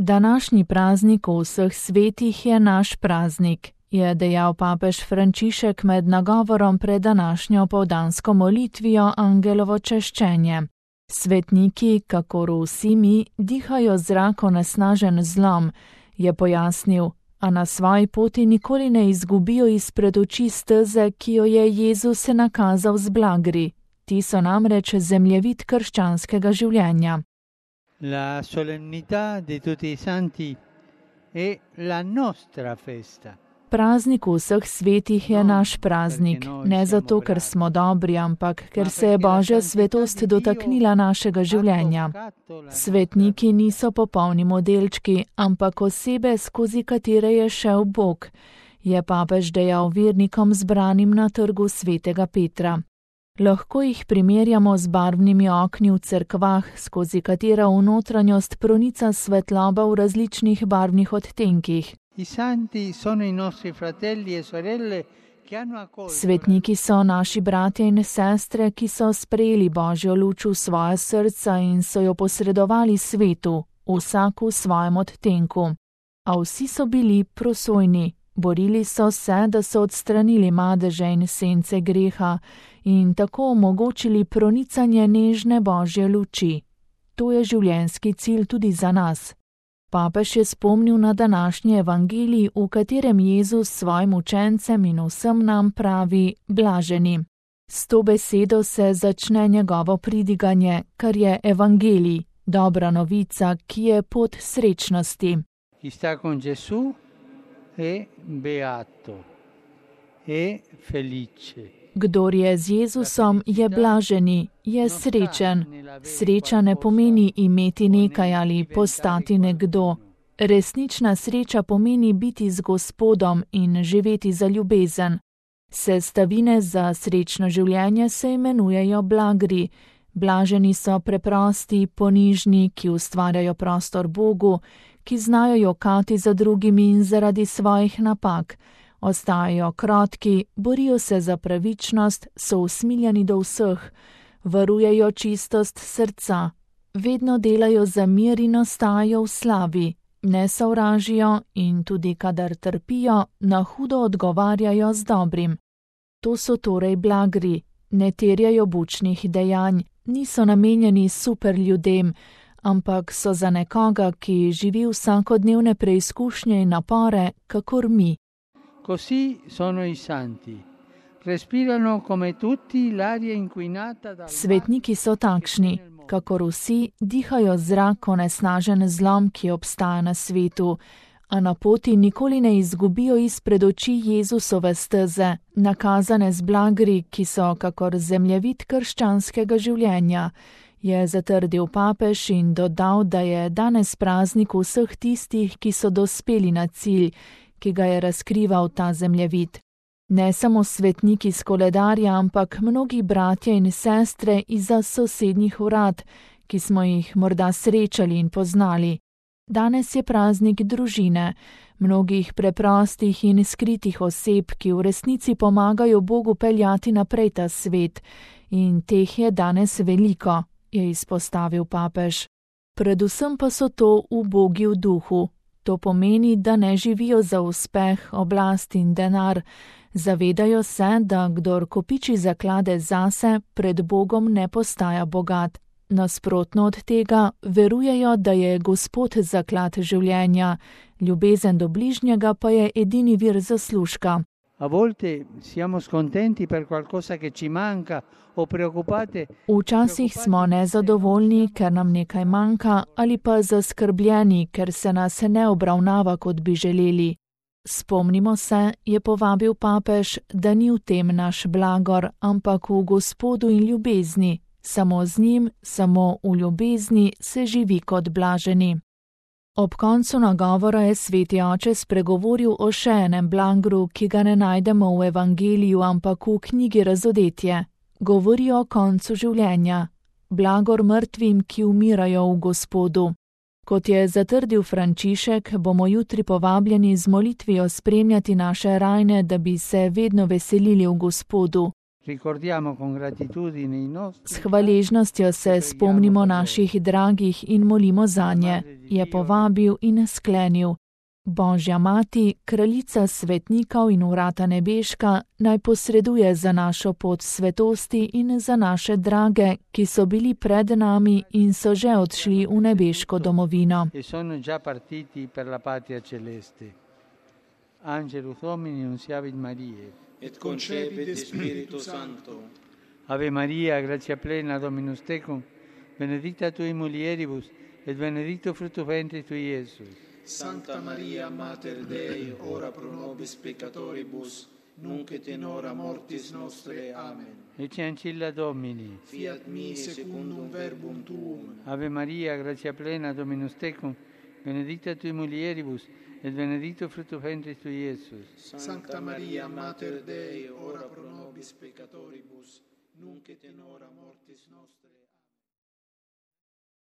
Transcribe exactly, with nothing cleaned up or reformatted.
Današnji praznik vseh svetih je naš praznik, je dejal papež Frančišek med nagovorom pred današnjo povdansko molitvijo Angelovo češčenje. Svetniki, kakor vsi mi, dihajo zrak onesnažen zlom, je pojasnil, a na svoji poti nikoli ne izgubijo izpred oči steze, ki jo je Jezus nakazal z blagri. Ti so namreč zemljevid krščanskega življenja. La solennità di tutti i santi è la nostra festa. Praznik vseh svetih je naš praznik, ne zato, ker smo dobri, ampak ker se je Božja svetost dotaknila našega življenja. Svetniki niso popolni modelčki, ampak osebe, skozi katere je šel Bog, je papež dejal vernikom zbranim na trgu svetega Petra. Lahko jih primerjamo z barvnimi okni v cerkvah, skozi katera v notranjost pronica svetloba v različnih barvnih odtenkih. Svetniki so naši bratje in sestre, ki so sprejeli Božjo luč v svoja srca in so jo posredovali svetu, vsak v svojem odtenku. A vsi so bili prosojni. Borili so se, da so odstranili madeže in sence greha in tako omogočili pronicanje nežne Božje luči. To je življenjski cilj tudi za nas. Papež je spomnil na današnji evangelij, v katerem Jezus svojim učencem in vsem nam pravi blaženi. S to besedo se začne njegovo pridiganje, kar je evangelij, dobra novica, ki je pot srečnosti. È beato, è felice. Kdor je z Jezusom, je blaženi, je srečen. Sreča ne pomeni imeti nekaj ali postati nekdo. Resnična sreča pomeni biti z Gospodom in živeti za ljubezen. Sestavine za srečno življenje se imenujejo blagri. Blaženi so preprosti, ponižni, ki ustvarjajo prostor Bogu, ki znajo jokati za drugimi in zaradi svojih napak. Ostajajo krotki, borijo se za pravičnost, so usmiljeni do vseh, varujejo čistost srca, vedno delajo za mir in ostajajo v slavi, ne sovražijo in tudi kadar trpijo, na hudo odgovarjajo z dobrim. To so torej blagri, ne terjajo bučnih dejanj, niso namenjeni super ljudem, ampak so za nekoga, ki živi vsakodnevne preizkušnje in napore, kakor mi. Così sono i santi. Respirano come tutti l'aria inquinata dal... Svetniki so takšni, kakor vsi, dihajo zrak onesnažen zlom, ki obstaja na svetu, a na poti nikoli ne izgubijo izpred oči Jezusove steze, nakazane z blagri, ki so kakor zemljevid krščanskega življenja, je zatrdil papež in dodal, da je danes praznik vseh tistih, ki so dospeli na cilj, ki ga je razkrival ta zemljevid. Ne samo svetniki s koledarja, ampak mnogi bratje in sestre izza sosednjih vrat, ki smo jih morda srečali in poznali. Danes je praznik družine, mnogih preprostih in skritih oseb, ki v resnici pomagajo Bogu peljati naprej ta svet, in teh je danes veliko, je izpostavil papež. Predvsem pa so to ubogi v duhu. To pomeni, da ne živijo za uspeh, oblast in denar. Zavedajo se, da kdor kopiči zaklade zase, pred Bogom ne postaja bogat. Nasprotno od tega, verujejo, da je Gospod zaklad življenja, ljubezen do bližnjega pa je edini vir zaslužka. A volte siamo scontenti per qualcosa che ci manca o preoccupati. Včasih smo nezadovoljni, ker nam nekaj manjka, ali pa zaskrbljeni, ker se nas ne obravnava, kot bi želeli. Spomnimo se, je povabil papež, da ni v tem naš blagor, ampak v Gospodu in ljubezni. Samo z njim, samo v ljubezni se živi kot blaženi. Ob koncu nagovora je sveti oče spregovoril o še enem blagru, ki ga ne najdemo v evangeliju, ampak v knjigi Razodetje. Govori o koncu življenja, blagor mrtvim, ki umirajo v Gospodu. Kot je zatrdil Frančišek, bomo jutri povabljeni z molitvijo spremljati naše rajne, da bi se vedno veselili v Gospodu. Ricordiamo con gratitudine i nostri. S hvaležnostjo se spomnimo naših dragih in molimo zanje, je povabil in sklenil. Božja mati, kraljica svetnikov in vrata nebeška, naj posreduje za našo pot svetosti in za naše drage, ki so bili pred nami in so že odšli v nebeško domovino. E sono già partiti per la patria celeste. Angelus Domini nunciavit Mariae. Et concepit Spiritu Sancto. Ave Maria, gratia plena, Dominus tecum, benedicta tui mulieribus, et benedictus fructus ventris tui, Iesus. Sancta Maria, Mater Dei, ora pro nobis peccatoribus, nunc et in hora mortis nostre. Amen. Ecce ancilla Domini. Fiat mi secundum verbum tuum. Ave Maria, gratia plena, Dominus tecum, benedicta tui mulieribus, et benedictus fructus ventris tui, Iesus. Sancta Maria, Mater Dei, ora pro nobis peccatoribus, nunc et in hora mortis nostre.